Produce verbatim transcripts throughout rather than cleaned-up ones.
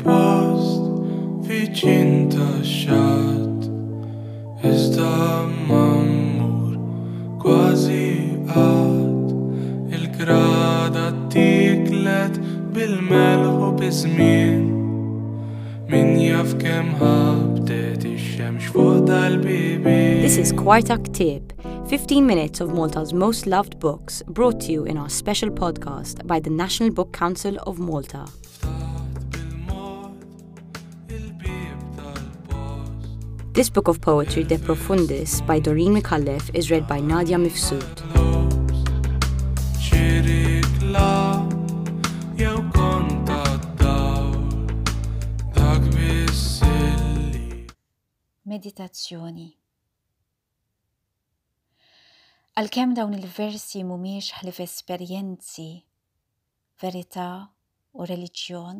post viċin tax-xatt, iżda ma mmur kważi qatt. Il-grada ttiklet bil-melħ u biż-żmien, min jaf kemm ħabtet ix-xemx fuq dal-bibien. This is Kwarta Ktieb, fifteen minutes of Malta's most loved books, brought to you in our special podcast by the National Book Council of Malta. Ftaħt bil-mod il-bieb tal-post. This book of poetry, De Profundis, by Doreen Micallef, is read by Nadia Mifsud. Xi riklam jew kont tad-dawl, dak biss illi Meditazzjoni. Għalkemm dawn il-versi mhumiex ħlief esperjenzi, verità u reliġjon,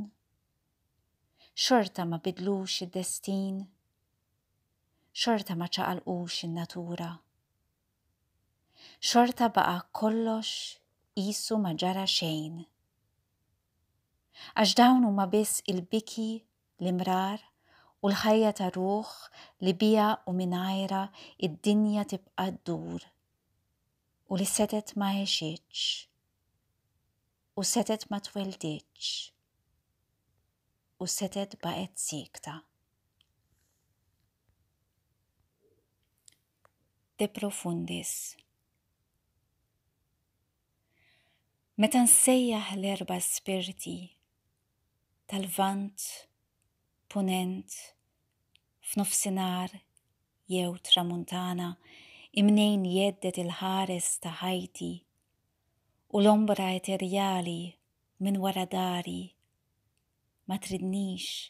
xorta ma bidlux id-destin, xorta ma ċaqalqux in-natura. Xorta baqa' kollox qisu ma ġara xejn. Għax dawn huma biss il-biki, l-imrar u l-ħajja ta' ruħ li bija u mingħajra id-dinja tibqa' ddur u li setet ma għexitx u setet ma twelditx u setet baqgħet siekta. De Profundis. Meta nsejjaħ l-erba' spirti tal-Lvant, Punent, f'nofsinhar jew Tramuntana, imnejn jeddet il-ħares ta' ħajti u l-ombra eterjali minn wara dari, ma tridnix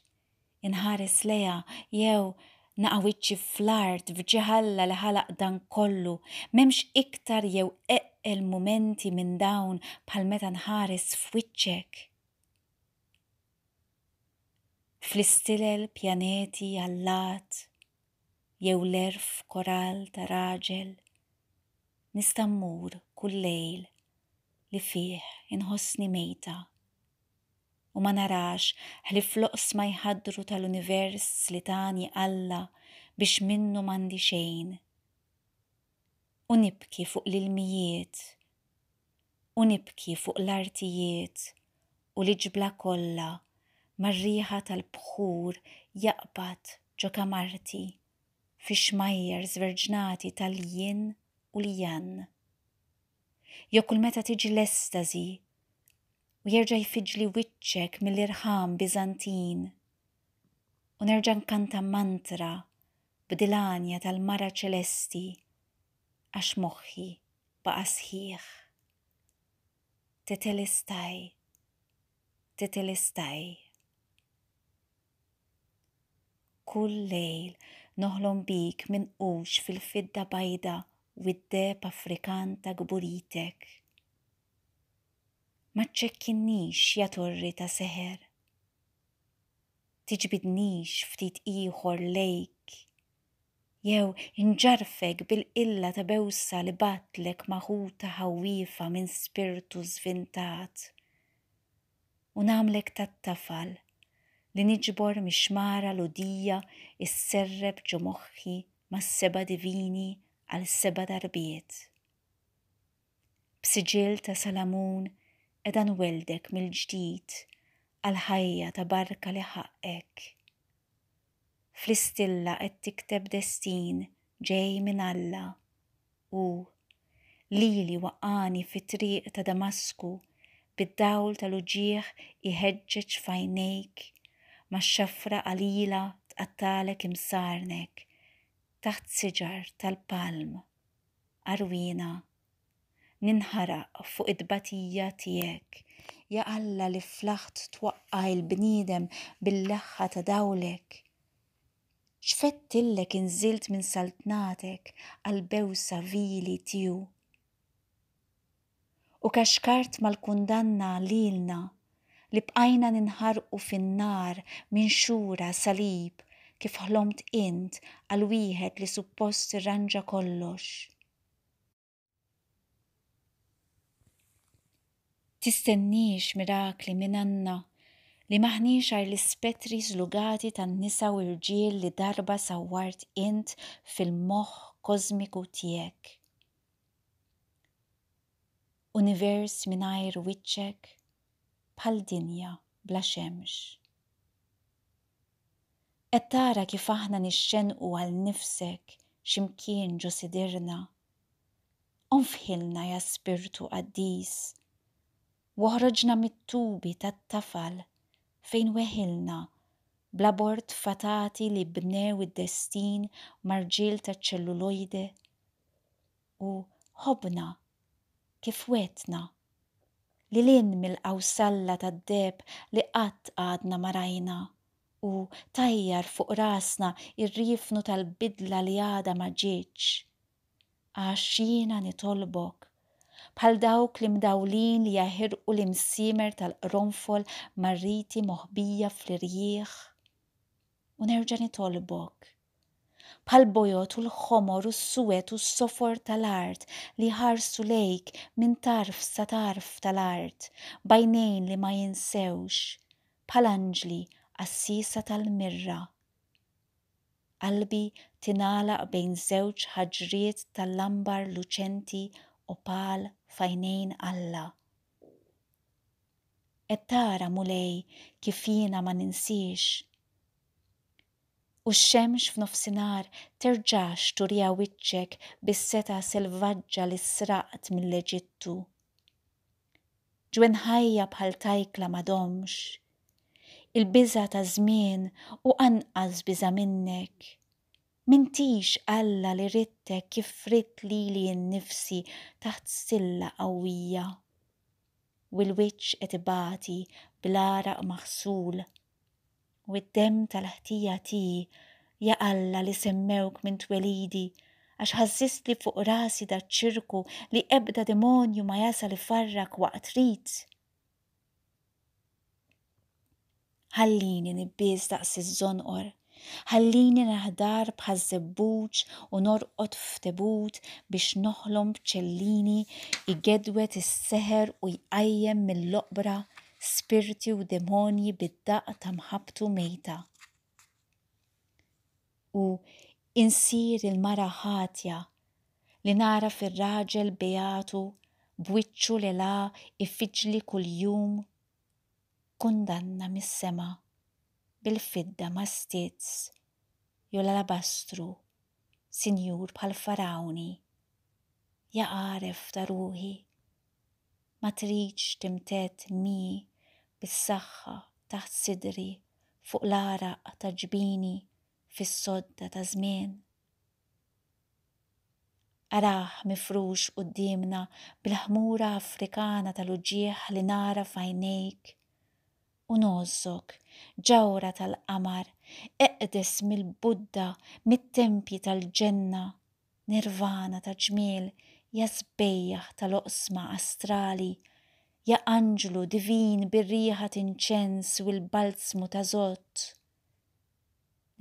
inħares leha jew naqa' wiċċi fl-art f'ġiħalla li ħalaq dan kollu, m'hemmx iktar jew eqqel mumenti minn dawn bħal meta nħares f'wiċċek. Fl-istilel pjaneti allat jew l-erf koral ta' raġel, nista' mmur kull lejl li fih inħossni mejta u ma narax ħlief l-oqsma jħaddru tal-univers li tani Alla biex minnu m'għandi xejn. U nibki fuq l-ilmijiet, u nibki fuq l-artijiet u l-iġbla kollha mar-riħa tal-bħur jaqbad ġo kamarti fi xmajjar żverġnati tal-jin u l-jan. Jew kull meta tiġi l-estasi u jerġa' jfiġli wiċċek mill-irħam Biżantin u nerġa' nkanta mantra b'dilanja tal-mara ċelesti għax moħħi baqa' sħiħ. Tetelestai, tetelestai. Kull lejl noħlom bik minqux fil-fidda bajda u d-deheb Afrikan ta' kburitek. Ma ċċekkinniex ja torri ta' seħer. Tiġbidnix ftit ieħor lejk. Jew inġarfek bil-qilla ta' bewsa li batlek maħuta ħawiefa minn spirtu żvintat. U nagħmlek tat-tafal li niġbor mix-xmara l-udija isserreb ġo moħħi mas-seba' divini għal seba' darbiet. B'siġill ta' Salamun qiegħda nweldek mill-ġdid għal ħajja ta' barka li ħaqqek. Fl-istilla qed tikteb destin ġej minn Alla u lili waqqani fit-triq ta' Damasku bid-dawl tal-uġigħ iħeġġeġ f'għajnejk ma' xafra qalila tqattalek imsarnek taħt siġar tal-palm għarwina ninħaraq fuq id-batija tiegħek, ja Alla li flaħt twaqqa' il-bniedem bil-leħħa ta' dawlek. X'fettillek inżilt minn saltnatek għal bewsa vili tiegħu. U kaxkart mal-kundanna lilna li bqajna ninħarqu fin-nar minn xura salib kif ħlomt int għal wieħed li suppost irranġa kollox. Tistenniex mirakli minn għandna Li m'aħniex għajr l-ispettri żlugati tan-nisa u rġiel li darba sawwart int fil-moħħ kożmiku tiegħek. Univers mingħajr wiċċek bħal dinja bla xemx. Qed tara kif aħna nixxenqu għal nifsek x'imkien ġo sidirna. Onfħilna ja spirtu qaddis. Woħroġna mit-tubi tat-tafal fejn weħilna bl-abort fatati li bnew id-destin ma' rġiel taċ-ċellulojde u ħobbna kif wegħedtna lil hinn mill-qawsalla tad-deheb li qatt għadna ma rajna u tajjar fuq rasna ir-riefnu tal-bidla li għadha ma ġietx. Għax jiena nitolbok bħal dawk l-imdawlin li jaħirqu l-imsiemer tal-qronfol mar-riti moħbija fl-irjieħ. U nerġa' nitolbok bħal bojod u l-ħomor u s-suwed u s-sofor tal-art li ħarsu lejk minn tarf sa tarf tal-art, b'għajnejn li ma jinsewx, bħal anġli għassiesa tal-mirra. Qalbi tingħalaq bejn żewġ ħaġriet tal-lambar luċenti opal f'għajnejn Alla. Qed tara Mulej kif jiena ma ninsiex. U x-xemx f'nofsinhar terġax turija wiċċek bis-setgħa selvaġġa li sraqt mill-Eġittu. Ġwenħajja bħal tajkla ma domx. Il-biża' ta' żmien u anqas biża' minnek. M'intix Alla li ridtek kif ridt lili nnifsi taħt stilla qawwija. U l-wiċċ qed ibati bl-għaraq maħsul. U d-demm tal-ħtija tiegħi, ja Alla li semmewk minn twelidi, għax ħażżistli fuq rasi daċ-ċirku li ebda demonju ma jasal ifarrak waqt rit. Ħallini nibbies daqs iż-żonqor, ħallini naħdar bħaż-żebbuġ u norqod f'tebut biex noħlom b'ċellini igedwet is-seħer u jqajjem mill-oqbra spirti u demonji bid-daqq ta' mħabbtu mejta. U insir il-mara ħatja li nara fir-raġel beatu b'wiċċu li la ifiġli kuljum kundanna mis-sema bil-fidda ma' stizz jew l-alabastru, sinjur bħal farawni, ja għaref ta' ruħi, ma tridx timtedd mi bis-saħħa taħt sidri fuq l-għaraq ta' ġbini fis-sodda ta' żmien. Arah mifrux quddiemna bil-ħmura Afrikana tal-uġigħ li nara f'għajnejk u ngħożżok, ġawhra tal-qamar, eqdes mill-Budda, mit-tempji tal-ġenna, nirvana ta' ġmiel, ja sbejjaħ tal-oqsma astrali, ja anġlu divin bir-riħa t'inċens u l-balzmu ta' żott.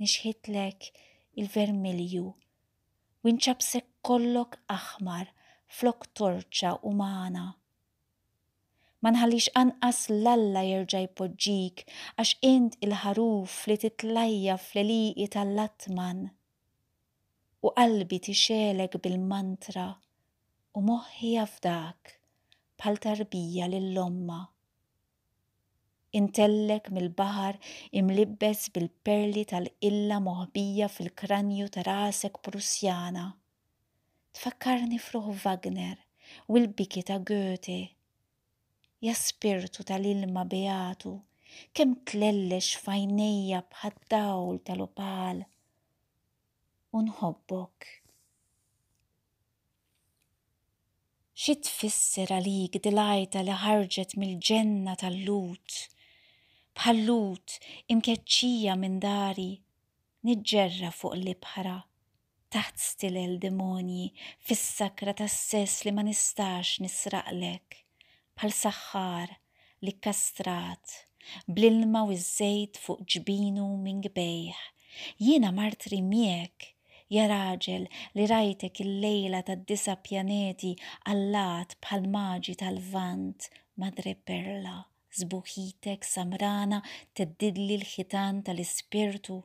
Nixħitlek il-vermilju u nċabsek kollok aħmar flok torċa umana. Ma nħallix anqas l-Alla jerġa' jpoġġik għax int il-ħaruf li titlajja fl-għelieqi tal-Latman. U qalbi tixgħelek bil-mantra u moħħi jafdak bħal tarbija lil ommha. Intellek mill-baħar imlibbes bil-perli tal-qilla moħbija fil-kranju ta' rasek Prussjana. Tfakkarni f'ruħ Wagner u l-biki ta' Goethe. Ja spirtu tal-ilma beatu, kemm tlellex f'għajnejja bħad-dawl tal-opal. U nħobbok. Xi tfisser għalik dil-għajta li ħarġet mill-ġenna tal-Lut? Bħal-Lut imkeċċija minn dari, niġġerra fuq l-ibħra, taħt stilel demonji, fis-sakra tas-sess li ma nistax nisraqlek, bħal saħħar li kkastrat, bl-ilma u ż-żejt fuq ġbinu minn gbejh. Jiena martri miegħek, ja raġel li rajtek il-lejla tad-disa' pjaneti allat bħal maġi tal-Lvant, Madre Perla Sbuħitek samrana theddidli l-ħitan tal-ispirtu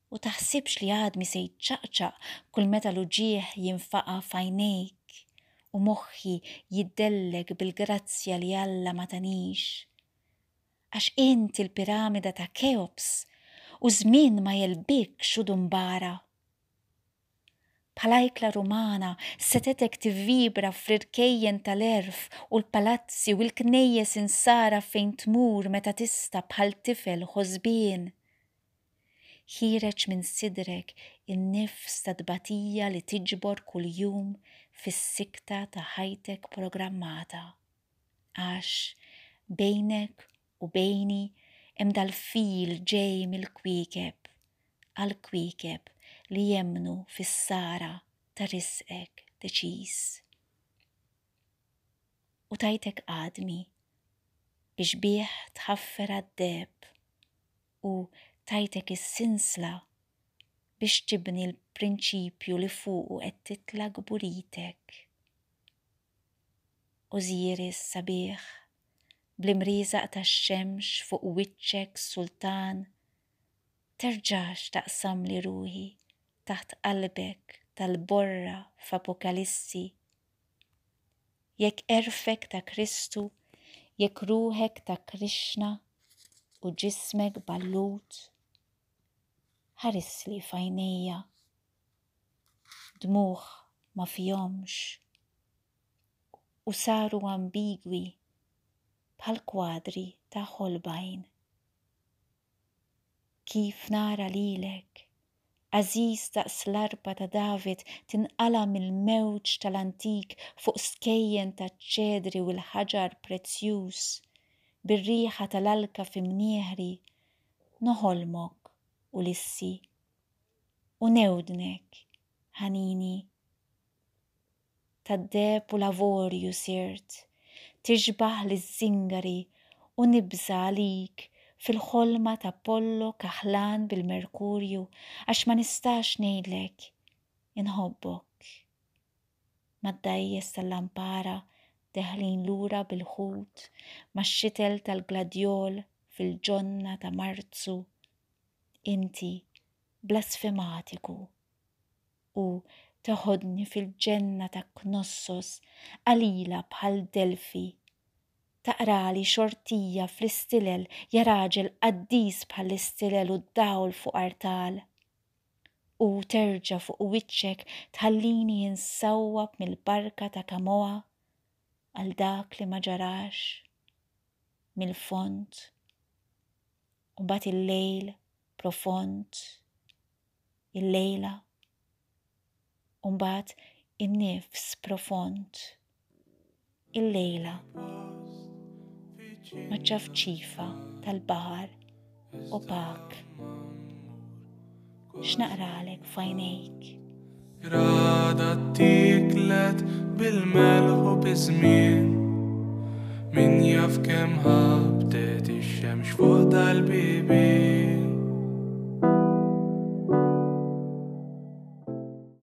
u taħsibx li għadmi se jċaqċaq kull meta l-uġigħ jinfaqa' f'għajnejk u moħħi jiddellek bil-grazzja li Alla ma tanix. Għax int il-piramida ta' Keops u żmien ma jegħlbikx u dumbara. Bħal Rumana setgħetek tivvibra fl-irkejjen tal-għerf u l-palazzi u l-knejjes insara fejn tmur meta tista' bħal tifel ħosbien. Ħiereġ minn sidrek in-nifs ta' tbatija li tiġbor kuljum fis-sikta ta' ħajtek programmata. Għax bejnek u bejni hemm dal-fil ġej mill-kwiekeb għal kwiekeb li jemmnu fis-sara ta' risqek deċiż. U tajtek għadmi biex bih tħaffer għad-deheb u tajtek is-sinsla biex tibni l-prinċipju li fuqu qed titla' kburitek. Osiris sabiħ, bl-imrieżaq tax-xemx fuq wiċċek sultan, terġax taqsamli ruħi taħt qalbek tal-borra f'Apokalissi. Jekk għerfek ta' Kristu, jekk ruħek ta' Krishna u ġismek ballut, ħarisli f'għajnejja, dmugħ ma fihomx u saru ambigwi bħal kwadri ta' Holbein. Kif nara lilek, għażiż daqs l-arpa ta' David tinqala mill-mewġ tal-antik fuq skejjen ta' ċedri u l-ħaġar prezzjuż, bir-riħa tal-alka fi mnieħri, noħolmok Ulissi u newdnek ħanini. Tad-deheb u l-avorju sirt, tixbaħ liż-żingari u nibża' għalik fil-ħolma ta' Apollo kaħlan bil-Merkurju għax ma nistax ngħidlek inħobbok. Mad-dgħajjes tal-lampara deħlin lura bil-ħut, max-xitel tal-gladjol fil-ġonna ta' Marzu, inti blasfematiku u teħodni fil-ġenna ta' Knossos qalila bħal Delfi. Taqrali xortija fl-istilel ja raġel qaddis bħall-istilel u d-dawl fuq artal. U terġa' fuq wiċċek tħallini insawwab mill-barka ta' Kamoa għal dak li ma ġarax mill-fond. U mbagħad il-lejl profond, il-lejla, u mbagħad in-nifs profond, il-lejla maċ-ċafċifa tal-baħar opak. X'naqralek f'għajnejk? Grada tiklet bil-melħ u biż-żmien. Min jaf kemm ħabtet ix-xemx fuq dal-bibien.